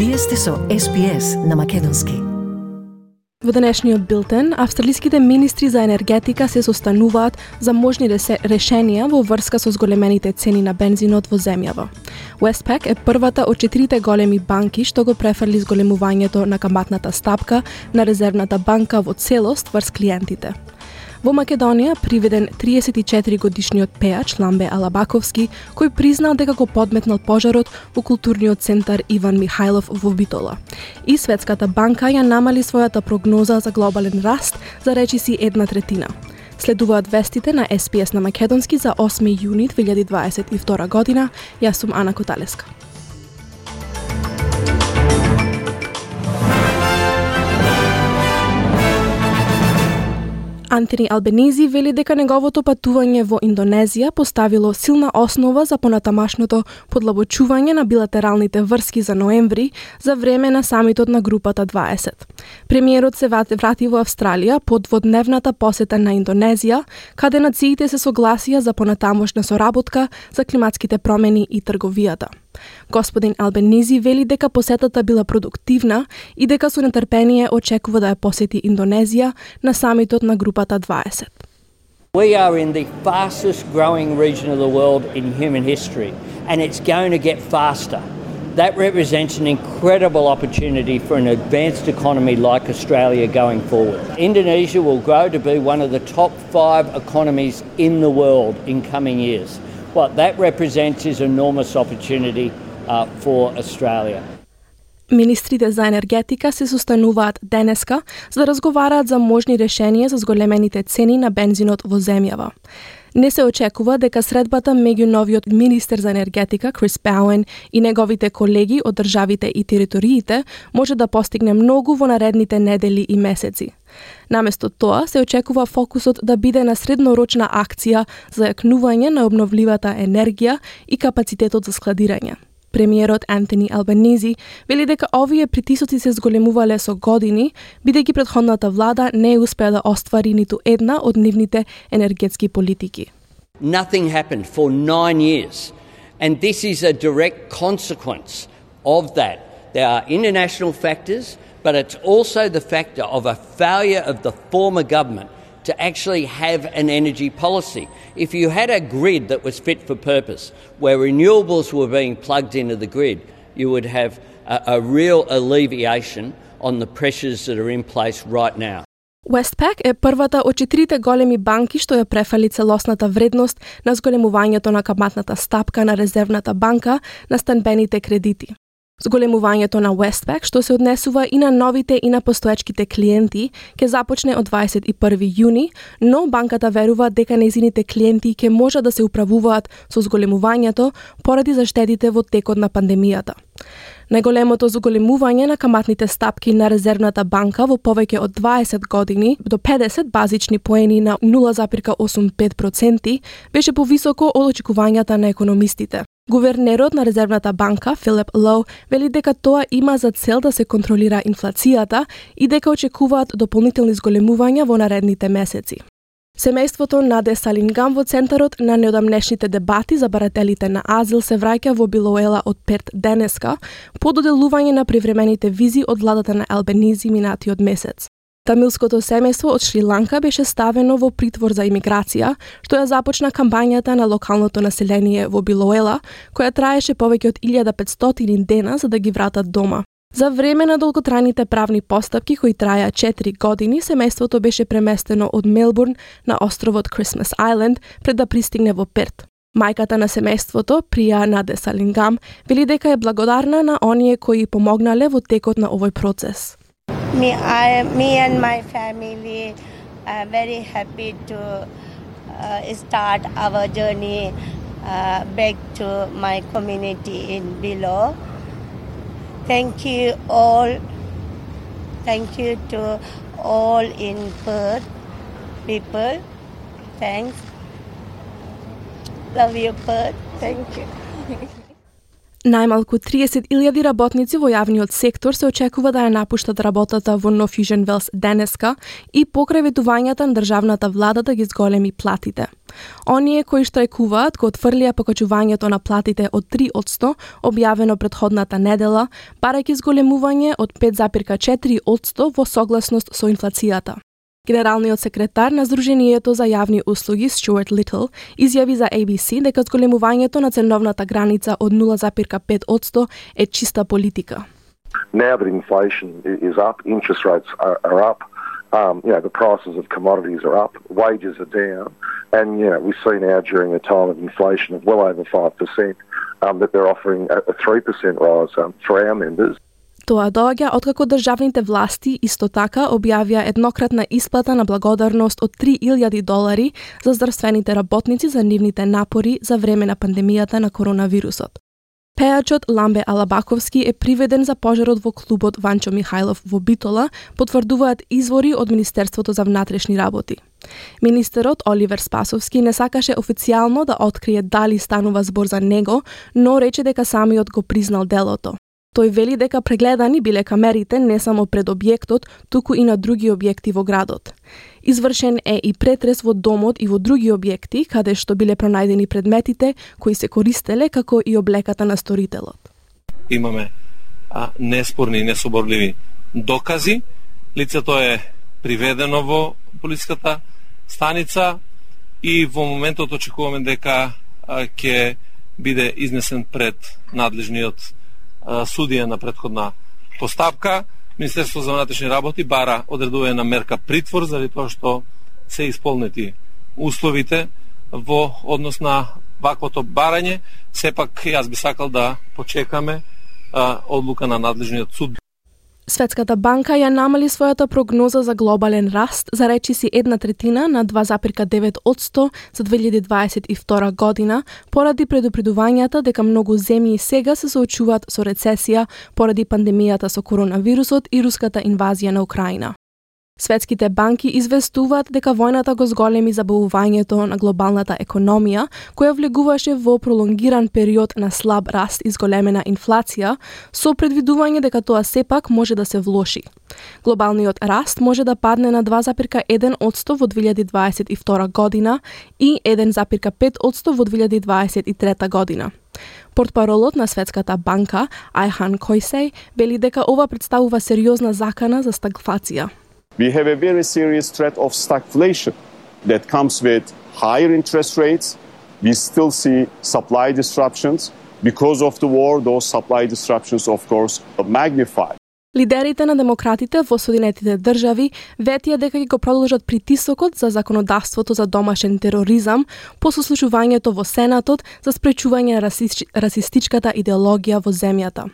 Вие сте со SPS на Македонски. Во денешниот билтен, австралиските министри за енергетика се состануваат за можни решенија во врска со зголемените цени на бензинот во земјава. Westpac е првата од 4 големи банки што го префрли зголемувањето на каматната стапка на Резервната банка во целост врз клиентите. Во Македонија приведен 34-годишниот пеач Ламбе Алабаковски, кој признал дека го подметнал пожарот во културниот центар Иван Михајлов во Битола. И Светската банка ја намали својата прогноза за глобален раст за речиси 1/3. Следуваат вестите на SPS на Македонски за 8 јуни 2022 година. Јас сум Ана Коталеска. Антони Албенизи вели дека неговото патување во Индонезија поставило силна основа за понатамашното подлабочување на билатералните врски за ноември за време на самитот на групата 20. Премиерот се врати во Австралија по дводневната посета на Индонезија, каде нациите се согласија за понатамошна соработка за климатските промени и трговијата. Господин Албенизи вели дека посетата била продуктивна и дека со нетрпение очекува да ја посети Индонезија на самитот на групата 20. We are in the fastest growing region of the world in human history, and it's going to get faster. That represents an incredible opportunity for an advanced economy like Australia going forward. Indonesia will grow to be one of the top 5 economies in the world in coming years. What that represents is enormous opportunity for Australia. Министрите за енергетика се состануваат денеска за да разговараат за можни решенија за зголемените цени на бензинот во земјава. Не се очекува дека средбата меѓу новиот министер за енергетика Крис Бауен и неговите колеги од државите и териториите може да постигне многу во наредните недели и месеци. Наместо тоа се очекува фокусот да биде на среднорочна акција за јакнување на обновливата енергија и капацитетот за складирање. Премиерот Антони Албенизи вели дека овие притисоци се зголемувале со години, бидејќи претходната влада не успеа да оствари ниту една од нивните енергетски политики. Nothing happened for 9 years, and this is a direct consequence of that. There are international factors, but it's also the factor of a failure of the former government to actually have an energy policy. If you had a grid that was fit for purpose, where renewables were being plugged into the grid, you would have a real alleviation on the pressures that are in place right now. Westpac е првата од 4 големи банки што ја префали целосната вредност на зголемувањето на каматната стапка на Резервната банка на станбените кредити. Зголемувањето на Westpac, што се однесува и на новите и на постоечките клиенти, ќе започне од 21 јуни, но банката верува дека нејзините клиенти ќе можат да се управуваат со зголемувањето поради заштедите во текот на пандемијата. Најголемото зголемување на каматните стапки на Резервната банка во повеќе од 20 години до 50 базични поени на 0,85% беше повисоко од очекувањата на економистите. Гувернерот на Резервната банка, Филип Лоу, вели дека тоа има за цел да се контролира инфлацијата и дека очекуваат дополнителни зголемувања во наредните месеци. Семејството Наде Салингам во центарот на неодамнешните дебати за барателите на азил се враќа во Билоела од Перт денеска по доделување на привремените визи од владата на Албенизи минатиот месец. Тамилското семејство од Шри-Ланка беше ставено во притвор за имиграција, што ја започна кампањата на локалното население во Билоела, која траеше повеќе од 1500 дена за да ги вратат дома. За време на долготрајните правни постапки кои траја 4 години, семејството беше преместено од Мелбурн на островот Christmas Island пред да пристигне во Перт. Мајката на семејството, Прија Наде Салингам, вели дека е благодарна на оние кои помогнале во текот на овој процес. Me and my family are very happy to start our journey back to my community in Bilo. Thank you all. Thank you to all in Perth people. Thanks. Love you, Perth. Thank you. Најмалку 30.000 работници во јавниот сектор се очекува да ја напуштат работата во No Fusion Wells денеска и покрај ветувањата на државната влада да ги зголеми платите. Оние кои штрајкуваат го отфрлија покачувањето на платите од 3%, објавено претходната недела, барајќи зголемување од 5,4% во согласност со инфлацијата. Генералниот секретар на Сдруженијето за јавни услуги Стюарт Литл изјави за ABC дека зголемувањето на ценовната граница од 0,5% е чиста политика. Now that inflation is up, interest rates are up, the prices of commodities are up, wages are down, and we see now during a time of inflation of well over 5% that they're offering a 3% rise for our members. Тоа доаѓа откако државните власти исто така објавија еднократна исплата на благодарност од $3,000 за здравствените работници за нивните напори за време на пандемијата на коронавирусот. Пејачот Ламбе Алабаковски е приведен за пожарот во клубот Ванчо Михајлов во Битола, потврдуваат извори од Министерството за внатрешни работи. Министерот Оливер Спасовски не сакаше официјално да открие дали станува збор за него, но рече дека самиот го признал делото. Тој вели дека прегледани биле камерите не само пред објектот, туку и на други објекти во градот. Извршен е и претрес во домот и во други објекти, каде што биле пронајдени предметите кои се користеле како и облеката на сторителот. Имаме неспорни и несоборливи докази. Лицето е приведено во полиската станица и во моментот очекуваме дека ќе биде изнесен пред надлежниот судија на претходна постапка. Министерството за внатрешни работи бара одредување на мерка притвор заради тоа што се исполнети условите во однос на ваквото барање. Сепак јас би сакал да почекаме одлука на надлежниот суд. Светската банка ја намали својата прогноза за глобален раст за речиси 1/3 на 2,9% за 2022 година, поради предупредувањата дека многу земји сега се соочуваат со рецесија поради пандемијата со коронавирусот и руската инвазија на Украина. Светските банки известуваат дека војната го зголеми забавувањето на глобалната економија, која влегуваше во пролонгиран период на слаб раст и зголемена инфлација, со предвидување дека тоа сепак може да се влоши. Глобалниот раст може да падне на 2,1% во 2022 година и 1,5% во 2023 година. Портпаролот на Светската банка, Айхан Койсей, вели дека ова представува сериозна закана за стагфлација. We have a very serious threat of stagflation that comes with higher interest rates. We still see supply disruptions. Because of the war, those supply disruptions, of course, are magnified. Лидерите на демократите во Соединетите држави ветија дека ќе го продолжат притисокот за законодавството за домашен тероризам по сослушувањето во Сенатот за спречување на расистичката идеологија во земјата.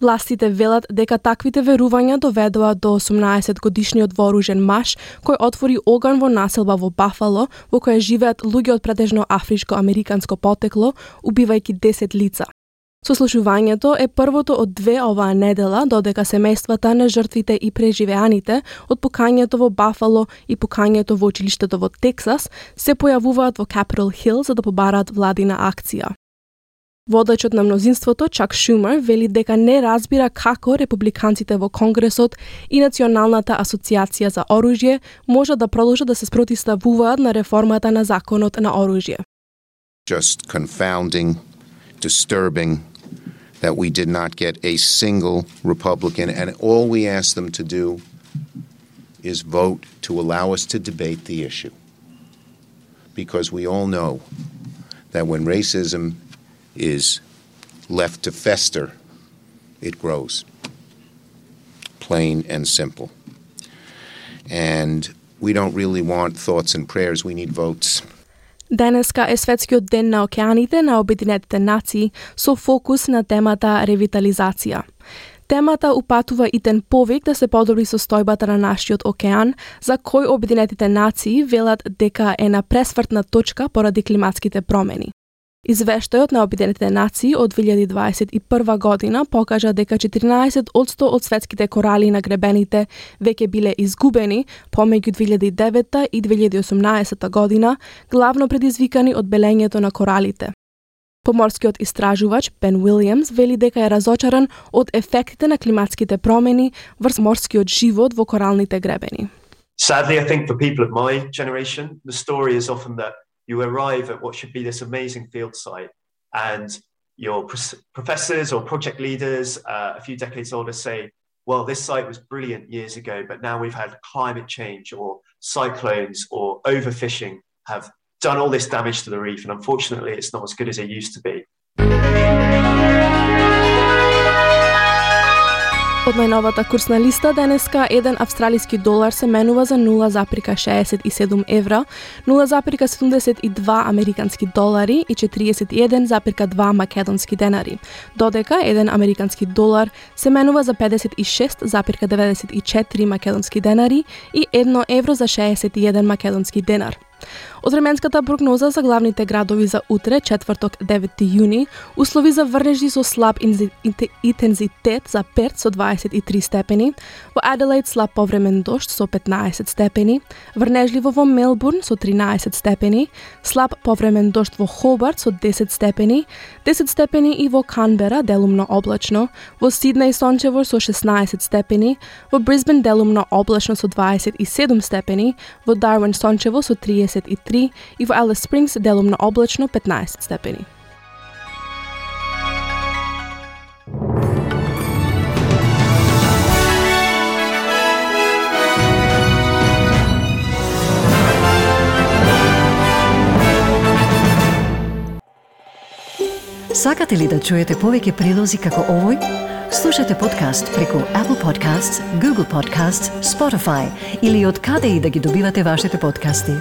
Властите велат дека таквите верувања доведоа до 18-годишниот вооружен маж кој отвори оган во населба во Бафало, во која живеат луѓе од претежно афричко-американско потекло, убивајќи 10 лица. Сослушувањето е првото од две оваа недела, додека семејствата на жртвите и преживеаните од пукањето во Бафало и пукањето во училиштето во Тексас се појавуваат во Capitol Hill за да побараат владина акција. Водачот на мнозинството, Чак Шумер, вели дека не разбира како републиканците во Конгресот и Националната асоциација за оружје може да продолжат да се спротивставуваат на реформата на законот на оружје. Just confounding, disturbing that we did not get a single Republican, and all we asked them to do is vote to allow us to debate the issue. Because we all know that when racism is left to fester, it grows. Plain and simple. And we don't really want thoughts and prayers, we need votes. Денеска е Светскиот ден на океаните на Обединетите нации со фокус на темата ревитализација. Темата упатува итен повик да се подобри состојбата на нашиот океан, за кој Обединетите нации велат дека е на пресвртна точка поради климатските промени. Извештајот на Обединетите нации од 2021 година покажа дека 14% од светските корали на гребените веќе биле изгубени помеѓу 2009 и 2018 година, главно предизвикани од белењето на коралите. Поморскиот истражувач Бен Уилјамс вели дека е разочаран од ефектите на климатските промени врз морскиот живот во коралните гребени. Sadly, I think for people of my generation, the story is often that you arrive at what should be this amazing field site and your professors or project leaders a few decades older say, well, this site was brilliant years ago, but now we've had climate change or cyclones or overfishing have done all this damage to the reef, and unfortunately it's not as good as it used to be. Од најновата курсна листа денеска еден австралиски долар се менува за 0,67 евра, 0,72 американски долари и 41,2 македонски денари, додека еден американски долар се менува за 56,94 македонски денари и 1 евро за 61 македонски денар. Од временската прогноза за главните градови за утре, четврток 9 јуни, услови за врнежи со слаб интензитет за Перт со 23 степени, во Аделаид слаб повремен дожд со 15 степени, врнежливо во Мелбурн со 13 степени, слаб повремен дожд во Хобарт со 10 степени, 10 степени и во Канбера делумно облачно, во Сиднеј сончево со 16 степени, во Брисбен делумно облачно со 27 степени, во Дарвин сончево со 33 и во Алис Спрингс делумно облачно 15 степени. Сакате ли да чуете повеќе прилози како овој? Слушате подкаст преку Apple Podcasts, Google Podcasts, Spotify или од каде и да ги добивате вашите подкасти.